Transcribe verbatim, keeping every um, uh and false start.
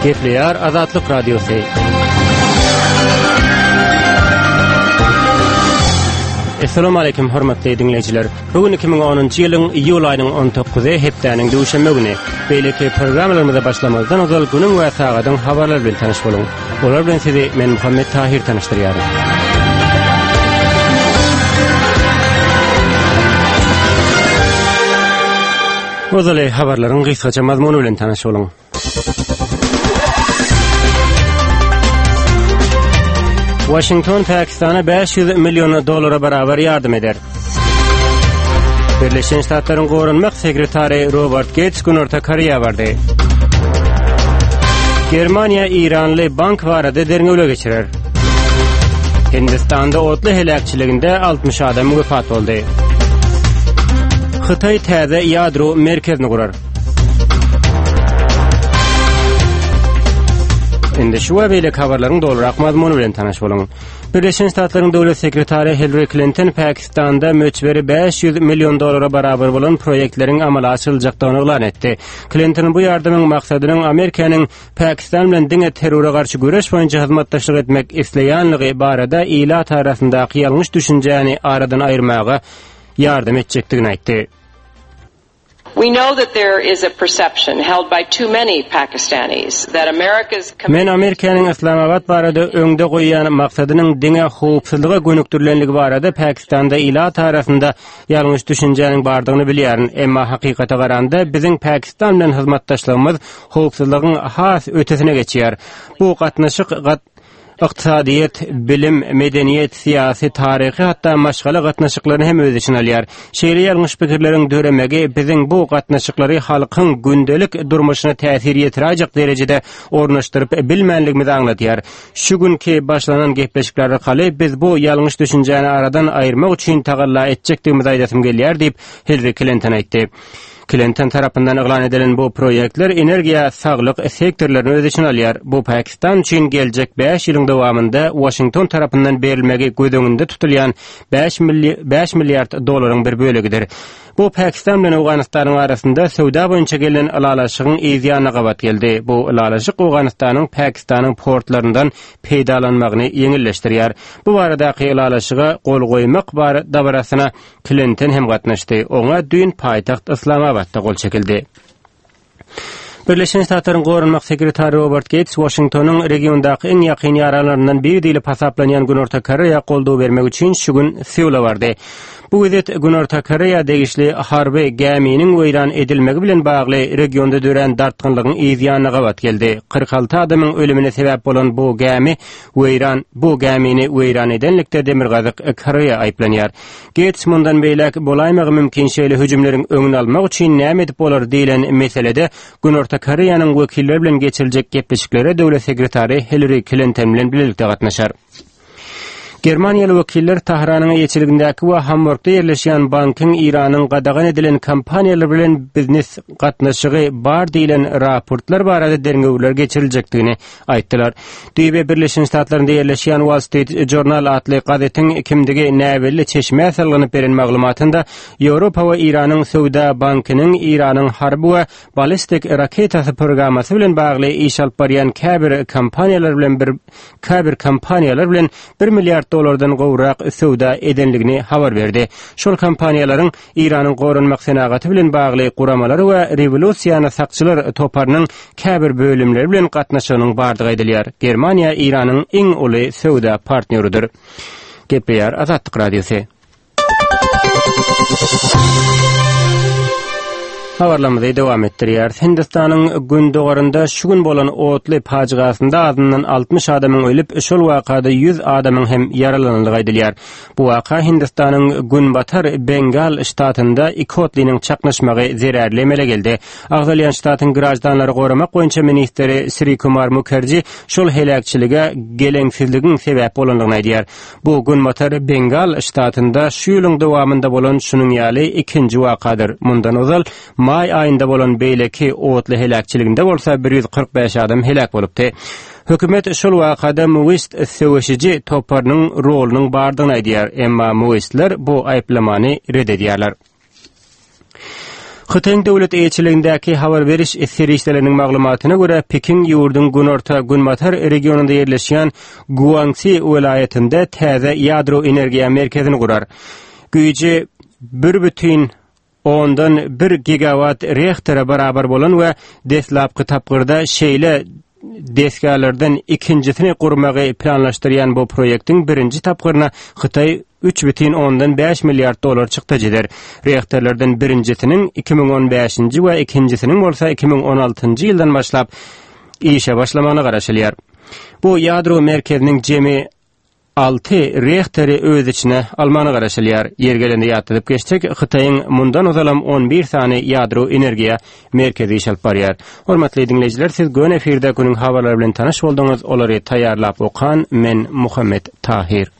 Gepleýär Azatlyk Radiosy. Essalamu aleýkum hormatly diňleýjiler. Bu gün iki müň onunjy ýylyň iýul aýynyň on dokuzy hepdäniň duşenbe güni. Beýleki programmalarymyza başlamazdan ozal günüň we sagadyň habarlary bilen tanyş boluň. Olar bilen sizi men Muhammet Tahir tanyşdyrýaryn. Ozaly habarlaryň gysgaça mazmuny bilen tanyş boluň. Washington Pakistana bäş ýüz million dollara barabar ýardam eder. Birleşen Ştatlaryň goranmak sekretary Robert Geýts Günorta Koreýa bardy. Germaniýa Iranly bank barada derňewler geçirer. Hindistanda otly heläkçiliginde altmyş adam wefat boldy. Hytaý täze ýadro merkezini gurar. Indi şu we beýleki habarlaryň dolurak mazmuny bilen tanyş boluň. Birleşen Ştatlaryň döwlet sekretary Hillary Klinton Pakistanda möçberi bäş ýüz million dollara barabar bolan proýektleriň amala aşyryljakdygyny yglan etdi. Klinton bu ýardamyň maksadynyň Amerikanyň Pakistan bilen diňe terrora garşy göreş boýunça hyzmatdaşlyk etmek isleýänligi barada ilat arasyndaky ýalňyş düşünjäni aradan aýyrmaga ýardam etjekdigini aýtdy. We know that there is a perception held by too many Pakistanis that America's Men Amerikanyň Islamabad barada öňde goýýan maksadynyň diňe howpsuzlyga gönükdirilenligi barada Pakistanda ilat arasynda ýalňyş düşünjäniň bardygyny bilýärin. Emma hakykata garanda biziň Pakistan bilen hyzmatdaşlygymyz howpsuzlygyň has ötesine geçýär. Bu gatnaşyk gat-, ykdysadyýet, bilim, medeniýet, syýasy, taryhy, hatda maşgala gatnaşyklaryny hem öz içine alýar. Şeýle ýalňyş pikirleriň döremegi biziň bu gatnaşyklary halkyň gündelik durmuşyna täsir ýetiräýjek derejede ornaşdyryp bilmänligimizi aňladýar. Şu günki başlanan gepleşikler arkaly biz bu ýalňyş düşünjäni aradan aýyrmak üçin tagalla etjekdigimizi aýdasym gelýär diýip Hillary Clinton aýtdy. Clinton tarapyndan yglan edilen bu proýektler energiýa, saglyk sektorlaryny öz içine alýar. Bu Pakistan üçin geljek bäş ýylyň dowamynda Washington tarapyndan berilmegi göz öňünde tutulýan bäş milli-, bäş milliard dolaryň bir bölegidir. Bu Pakistan bilen Owganystanyň arasynda söwda boýunça gelen ylalaşygyň yz ýanyna gabat geldi. Bu ylalaşyk Owganystanyň Pakistanyň portlaryndan peýdalanmagyny ýeňilleşdirýär. Bu baradaky ylalaşyga gol goýmak bar dabarasyna Clinton hem gatnaşdy. Oňa düýn paýtagt Islamabatda gol çekildi. Birleşen Ştatlaryň goranmak sekretary Robert Gates Washingtonyň regiondaky iň ýakyn ýaranlaryndan biri diýlip hasaplanýan Günorta Koreýa goldaw bermek üçin şu gün Seula bardy. Bu wezit Günorta Koreýa degişli harby gäminiň weýran edilmegi bilen bagly regionda dörän dartgynlygyň yz ýanyna gabat geldi. Kyrk alty adamyň ölümine sebäp bolan bu gämi weýran, bu gämini weýran edenlikde Demirgazyk Koreýa aýyplanýar. Gates mundan beýläk bolaýmagy mümkin şeýle hüjümleriň öňüni almak üçin näme edip bolar diýlen meselede Günorta Koreýanyň wekilleri bilen geçiriljek gepleşiklere döwlet sekretary Hillary Clinton bilen birlikde gatnaşar. Germaniýaly wekiller Tahranyň eýeçiligindäki we Hamburgda ýerleşýän bankyň Iranyň gadagan edilen kompaniýalar bilen biznes gatnaşygy bar diýlen raportlar barada derňewler geçiriljekdigini aýtdylar. Düýbe Birleşen Ştatlarynda ýerleşýän Wall Street Journal atly gazetiň kimdigi näbelli çeşmä salgynyp beren maglumatynda Ýewropa we Iranyň söwda bankynyň Iranyň harby we ballistik raketasy programmasy bilen bagly iş alyp barýan käbir kompaniýalar bilen bir käbir kompaniýalar bilen bir milliard dolardan gowrak söwda edenligini habar berdi. Şol kompaniýalaryň Iranyň goranmak senagaty bilen bagly guramalary we rewolýusiýany sakçylar toparynyň käbir bölümleri bilen gatnaşygynyň bardygy aýdylýar. Germaniýa Iranyň iň uly söwda partnýorydyr. Gepleýär Azatlyk Radiosy. Habarlarymyzy dowam etdirýär. Hindistanyň gündogarynda şu gün bolan otly pajygasynda azyndan altmyş adamyň ölüp, şol wakada ýüz adamyň hem ýaralanandygy aýdylýar. Bu waka Hindistanyň Günbatar Bengal ştatynda iki otlynyň çaknyşmagy zerarly emele geldi. Agzalýan ştatyň grajdanlary goramak boýunça ministri Sri Kumar Mukherjee şol heläkçilige geleňsizligiň sebäp bolandygyny aýdýar. Bu Günbatar Bengal ştatynda şu ýylyň dowamynda bolan şunuň ýaly ikinji wakadyr. Mundan ozal maý aýynda bolan beýleki otly heläkçiliginde bolsa bir ýüz kyrk bäş adam heläk bolupdy. Hökümet şol wakada Maoist söweşiji toparynyň rolunyň bardygyny aýdýar, emma Maoistler bu aýyplamany red edýärler. Hytaýyň döwlet eýeçiligindäki habar beriş serişdeleriniň maglumatyna görä, Pekin ýurduň günorta-günbatar regionynda ýerleşýän Guangxi welaýatynda täze ýadro energiýa merkezini gurar. Güýji bir bütin ondan bir gigawatt reaktora barabar bolan we deslapky tapgyrda şeýle desgalardan ikinjisini gurmagy planlaşdyrýan bu proýektiň birinji tapgyryna Hytaý üç bütin ondan bäş milliard dollar çykdajy eder. Reaktorlardan birinjisiniň iki müň on bäşinji we ikinjisiniň bolsa iki müň on altynjy ýyldan başlap işe başlamagyna garaşylýar. Bu ýadro merkeziniň jemi alty reaktory öz içine almagyna garaşylýar. Ýeri gelende ýatladyp geçsek, Hytaýyň mundan ozalam on bir sany ýadro energiýa merkezi iş alyp barýar. Hormatly diňleýjiler, siz göni efirde günüň habarlary bilen tanyş bolduňyz. Olary taýýarlap okan men Muhammet Tahir.